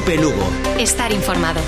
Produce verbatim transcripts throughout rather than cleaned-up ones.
Cope Lugo. Estar informado.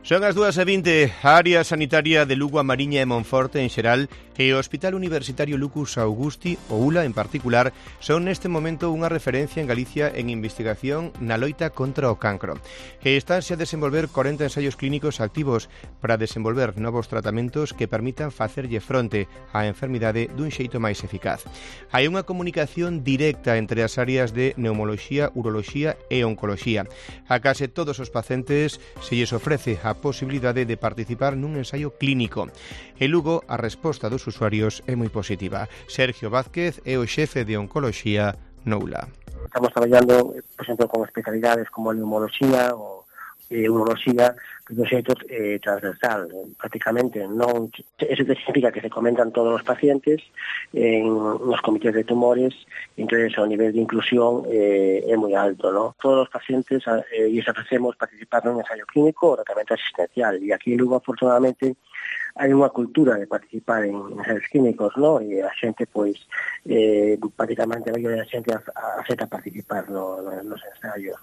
Son as dúas e vinte. A área sanitaria de Lugo, a Mariña e Monforte en xeral e o Hospital Universitario Lucus Augusti, o U L A en particular, son neste momento unha referencia en Galicia en investigación na loita contra o cancro. E estánse a desenvolver corenta ensaios clínicos activos para desenvolver novos tratamentos que permitan facerlle fronte á enfermidade dun xeito máis eficaz. Hai unha comunicación directa entre as áreas de neumoloxía, uroloxía e oncoloxía. A case todos os pacientes se lles ofrece a posibilidade de participar nun ensaio clínico. En Lugo, a resposta dos usuarios é moi positiva. Sergio Vázquez é o xefe de oncoloxía no U L A. Estamos traballando, por exemplo, con especialidades como a neumoloxía ou eh, uroloxía, que do xeito eh, transversal, prácticamente. Non, eso significa que se comentan todos os pacientes en nos comités de tumores, entonces o nivel de inclusión eh, é moi alto, ¿no? Todos os pacientes eh, e ofrecemos participar nun ensayo clínico ou tratamento asistencial, e aquí en Lugo, afortunadamente, hai unha cultura de participar en ensaios clínicos, ¿no? E a xente, pois, eh, prácticamente a maioría da xente acepta participar no, no, nos ensaios.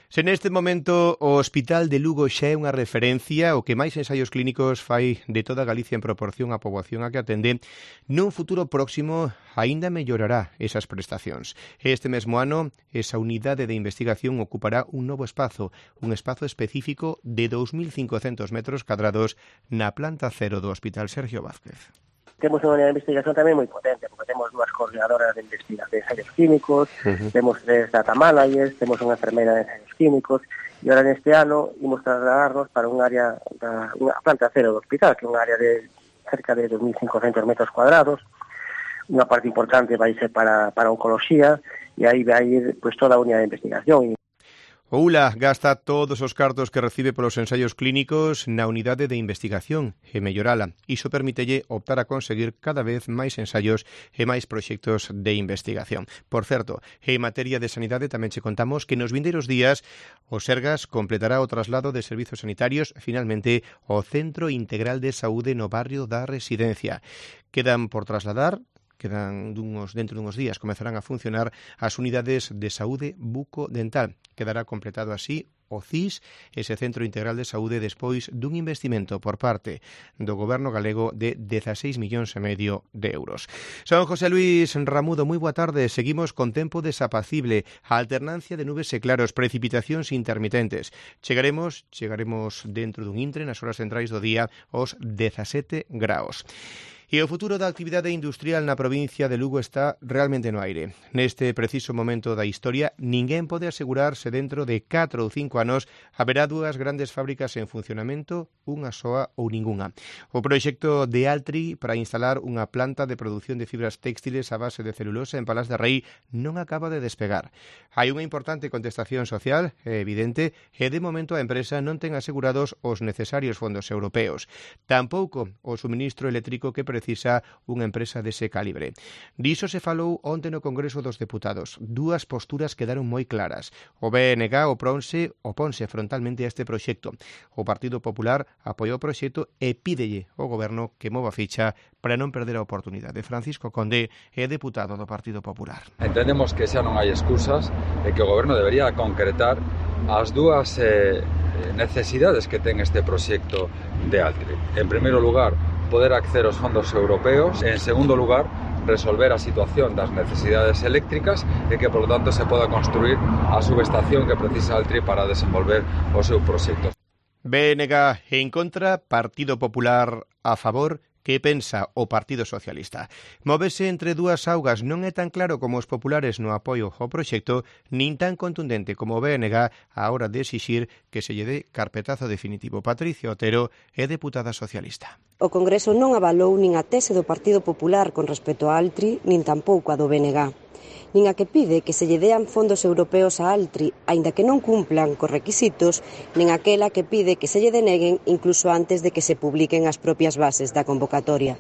Se neste momento o Hospital de Lugo xa é unha referencia, o que máis ensaios clínicos fai de toda Galicia en proporción á poboación a que atende, nun futuro próximo aínda mellorará esas prestacións. Este mesmo ano, esa unidade de investigación ocupará un novo espazo, un espazo específico de dous mil cincocentos metros cadrados na planta cero do Hospital Sergio Vázquez. Temos unha unidade de investigación tamén moi potente, porque temos dúas coordinadoras de investigación de ensaios químicos, uh-huh. temos tres data managers, temos unha enfermeira de ensaios químicos, e ahora neste ano imos trasladarnos para un área, da, unha planta cero do hospital, que é unha área de cerca de dos mil cincocentos metros cuadrados. Unha parte importante vai ser para, para oncoloxía, e aí vai ir pues, toda a unidade de investigación. O U L A gasta todos os cartos que recibe polos ensaios clínicos na unidade de investigación e mellorala. Iso permítelle optar a conseguir cada vez máis ensaios e máis proxectos de investigación. Por certo, en materia de sanidade tamén che contamos que nos vindeiros días o Sergas completará o traslado de servizos sanitarios finalmente ao Centro Integral de Saúde no barrio da Residencia. Quedan por trasladar Quedan dunhos, dentro dunhos días comezarán a funcionar as unidades de saúde bucodental. Quedará completado así o C I S, ese Centro Integral de Saúde, despois dun investimento por parte do Goberno galego de dezaseis millóns e medio de euros. Son José Luis Ramudo, moi boa tarde. Seguimos con tempo desapacible, a alternancia de nubes e claros, precipitacións intermitentes. Chegaremos, chegaremos dentro dun intre nas horas centrais do día aos dezasete graos. E o futuro da actividade industrial na provincia de Lugo está realmente no aire. Neste preciso momento da historia, ninguén pode asegurarse dentro de catro ou cinco anos haberá dúas grandes fábricas en funcionamento, unha soa ou ningunha. O proxecto de Altri para instalar unha planta de produción de fibras textiles a base de celulosa en Palás de Rei non acaba de despegar. Hai unha importante contestación social, é evidente, e de momento a empresa non ten asegurados os necesarios fondos europeos. Tampouco o suministro eléctrico que precisa unha empresa dese calibre. Diso se falou onte no Congreso dos Deputados. Dúas posturas quedaron moi claras. O B N G oprónse, oponse frontalmente a este proxecto. O Partido Popular apoiou o proxecto e pídelle ao Goberno que mova ficha para non perder a oportunidade. Francisco Conde é deputado do Partido Popular. Entendemos que xa non hai excusas e que o Goberno debería concretar as dúas eh, necesidades que ten este proxecto de Altri. En primeiro lugar, poder acceder aos fondos europeos. En segundo lugar, resolver a situación das necesidades eléctricas e que, por lo tanto, se poda construir a subestación que precisa Altri para desenvolver o seu proxecto. B N G en contra, Partido Popular a favor. Que pensa o Partido Socialista? Móvese entre dúas augas, non é tan claro como os populares no apoio ao proxecto, nin tan contundente como o B N G a hora de exixir que se lle dé carpetazo definitivo. Patricia Otero é deputada socialista. O Congreso non avalou nin a tese do Partido Popular con respecto a Altri, nin tampouco a do B N G. Nin a que pide que se lle dean fondos europeos a Altri, aínda que non cumplan cos requisitos, nin aquela que pide que se lle deneguen incluso antes de que se publiquen as propias bases da convocatoria.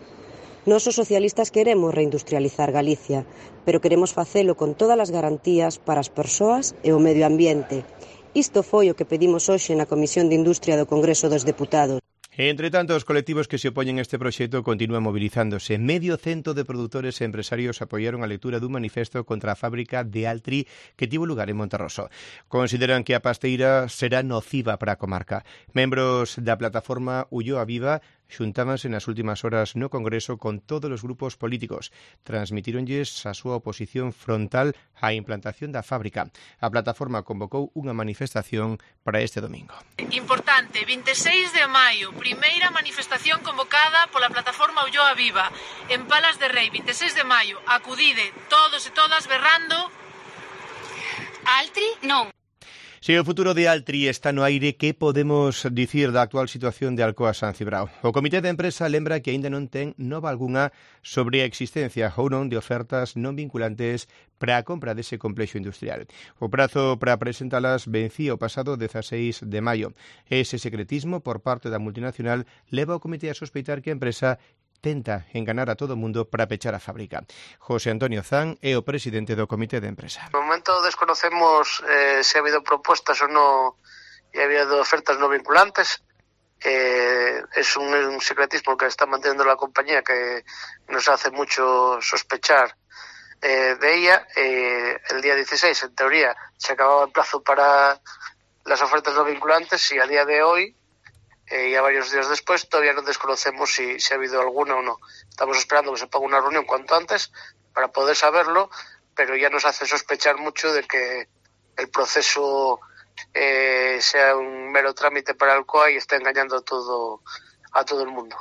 Nós os socialistas queremos reindustrializar Galicia, pero queremos facelo con todas as garantías para as persoas e o medio ambiente. Isto foi o que pedimos hoxe na Comisión de Industria do Congreso dos Deputados. Entre tanto, os colectivos que se opoñen a este proxecto continúan movilizándose. Medio cento de produtores e empresarios apoiaron a lectura dun manifesto contra a fábrica de Altri que tivo lugar en Monterroso. Consideran que a pasteira será nociva para a comarca. Membros da plataforma Ulloa Viva xuntábanse nas últimas horas no Congreso con todos os grupos políticos. Transmitironlles a súa oposición frontal á implantación da fábrica. A plataforma convocou unha manifestación para este domingo. Importante, vinte e seis de maio, primeira manifestación convocada pola plataforma Ulloa Viva en Palas de Rei, vinte e seis de maio. Acudide todos e todas berrando Altri non. Se o futuro de Altri está no aire, que podemos dicir da actual situación de Alcoa San Cibrao? O Comité de Empresa lembra que aínda non ten nova algunha sobre a existencia ou non de ofertas non vinculantes para a compra dese complexo industrial. O prazo para presentalas vencía o pasado dezaseis de maio. Ese secretismo por parte da multinacional leva o Comité a sospeitar que a empresa tenta enganar a todo o mundo para pechar a fábrica. José Antonio Zan é o presidente do Comité de Empresa. No momento desconocemos eh, se ha habido propuestas ou non e ha habido ofertas no vinculantes. Eh, es un, un secretismo que está manteniendo la compañía que nos hace mucho sospechar eh, de ella. Eh, el día dieciséis, en teoría, se acababa el plazo para las ofertas no vinculantes y a día de hoy, Eh, y a varios días después todavía no desconocemos si, si ha habido alguna o no. Estamos esperando que se ponga una reunión cuanto antes para poder saberlo, pero ya nos hace sospechar mucho de que el proceso eh, sea un mero trámite para Alcoa y está engañando a todo, a todo el mundo.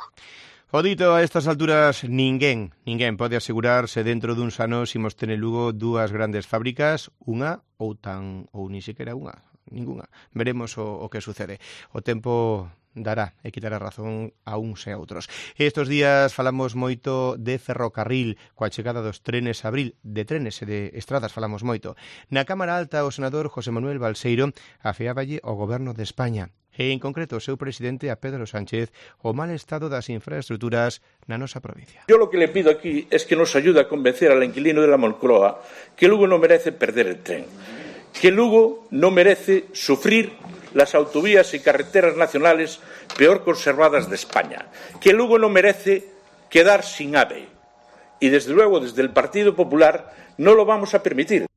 O dito, a estas alturas, ninguén, ninguén pode asegurarse dentro duns anos imos ter en Lugo dúas grandes fábricas, unha ou tan, ou ni sequera unha, ninguna. Veremos o, o que sucede. O tempo dará e quitará razón a uns e a outros. Estos días falamos moito de ferrocarril, coa chegada dos trenes abril, de trenes e de estradas falamos moito. Na Cámara Alta, o senador José Manuel Balseiro afeáballe ao Goberno de España e, en concreto, o seu presidente, a Pedro Sánchez, o mal estado das infraestructuras na nosa provincia. Yo lo que le pido aquí es que nos ayude a convencer al inquilino de la Moncloa que Lugo no merece perder el tren, que Lugo no merece sufrir las autovías y carreteras nacionales peor conservadas de España, que Lugo no merece quedar sin AVE. Y desde luego, desde el Partido Popular, no lo vamos a permitir.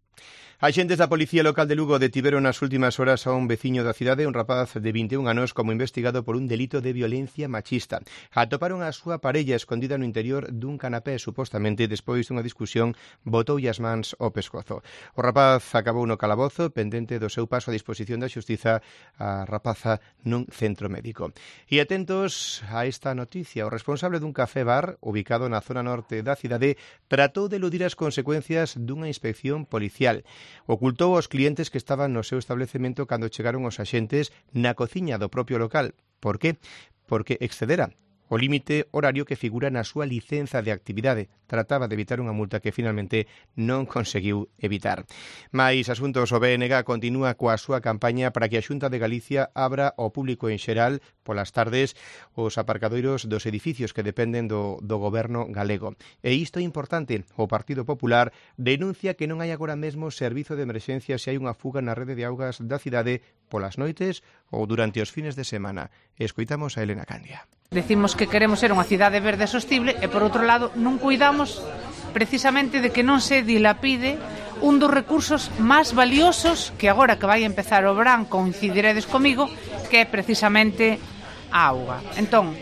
Axentes da Policía Local de Lugo detiveron nas últimas horas a un veciño da cidade, un rapaz de vinte e un anos, como investigado por un delito de violencia machista. Atoparon a súa parella escondida no interior dun canapé, supostamente despois dunha discusión botoulle as mans ao pescozo. O rapaz acabou no calabozo, pendente do seu paso a disposición da xustiza, a rapaza nun centro médico. E atentos a esta noticia, o responsable dun café bar ubicado na zona norte da cidade tratou de eludir as consecuencias dunha inspección policial. Ocultou aos clientes que estaban no seu establecemento cando chegaron os axentes na cociña do propio local. Por qué? Porque excedera o límite horario que figura na súa licenza de actividade. Trataba de evitar unha multa que finalmente non conseguiu evitar. Mais asuntos, o B N G continúa coa súa campaña para que a Xunta de Galicia abra ao público en xeral polas tardes os aparcadoiros dos edificios que dependen do, do goberno galego. E isto é importante. O Partido Popular denuncia que non hai agora mesmo servizo de emerxencia se hai unha fuga na rede de augas da cidade polas noites ou durante os fines de semana. Escoitamos a Elena Candia. Decimos que queremos ser unha cidade verde e sostible e, por outro lado, non cuidamos precisamente de que non se dilapide un dos recursos máis valiosos que agora que vai empezar o verán, coincidiredes comigo, que é precisamente a auga. Entón,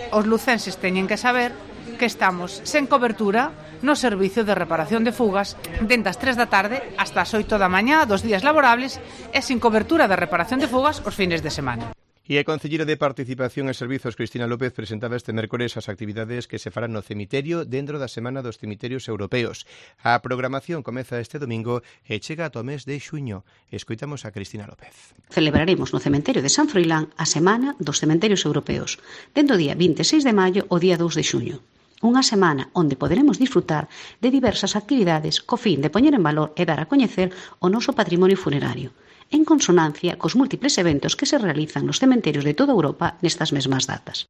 os lucenses teñen que saber que estamos sen cobertura no servicio de reparación de fugas dende as tres da tarde hasta as oito da mañá dos días laborables e sin cobertura de reparación de fugas os fines de semana. E a concelleira de Participación e Servizos, Cristina López, presentaba este mércores as actividades que se farán no cemiterio dentro da Semana dos Cemiterios Europeos. A programación comeza este domingo e chega ata o mes de xuño. Escoitamos a Cristina López. Celebraremos no cemiterio de San Froilán a Semana dos Cementerios Europeos, dentro o día vinte e seis de maio ao día dous de xuño. Unha semana onde poderemos disfrutar de diversas actividades co fin de poñer en valor e dar a coñecer o noso patrimonio funerario, en consonancia cos múltiples eventos que se realizan nos cementerios de toda Europa nestas mesmas datas.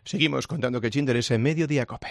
Seguimos contando que che interesa en Mediodía Cope.